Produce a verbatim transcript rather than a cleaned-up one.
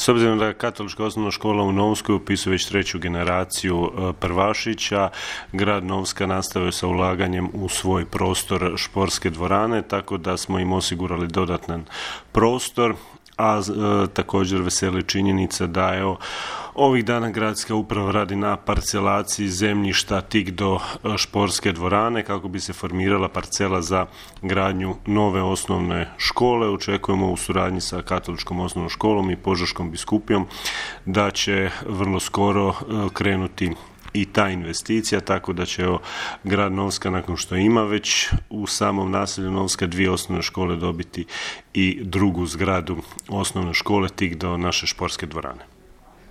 S obzirom da je Katolička osnovna škola u Novskoj upisuje već treću generaciju prvašića, grad Novska nastavio sa ulaganjem u svoj prostor športske dvorane, tako da smo im osigurali dodatan prostor, a e, također veseli činjenica da evo, ovih dana gradska uprava radi na parcelaciji zemljišta tik do športske dvorane kako bi se formirala parcela za gradnju nove osnovne škole. Očekujemo u suradnji sa Katoličkom osnovnom školom i Požeškom biskupijom da će vrlo skoro krenuti i ta investicija, tako da će evo, grad Novska, nakon što ima već u samom naselju Novska dvije osnovne škole, dobiti i drugu zgradu osnovne škole tik do naše športske dvorane.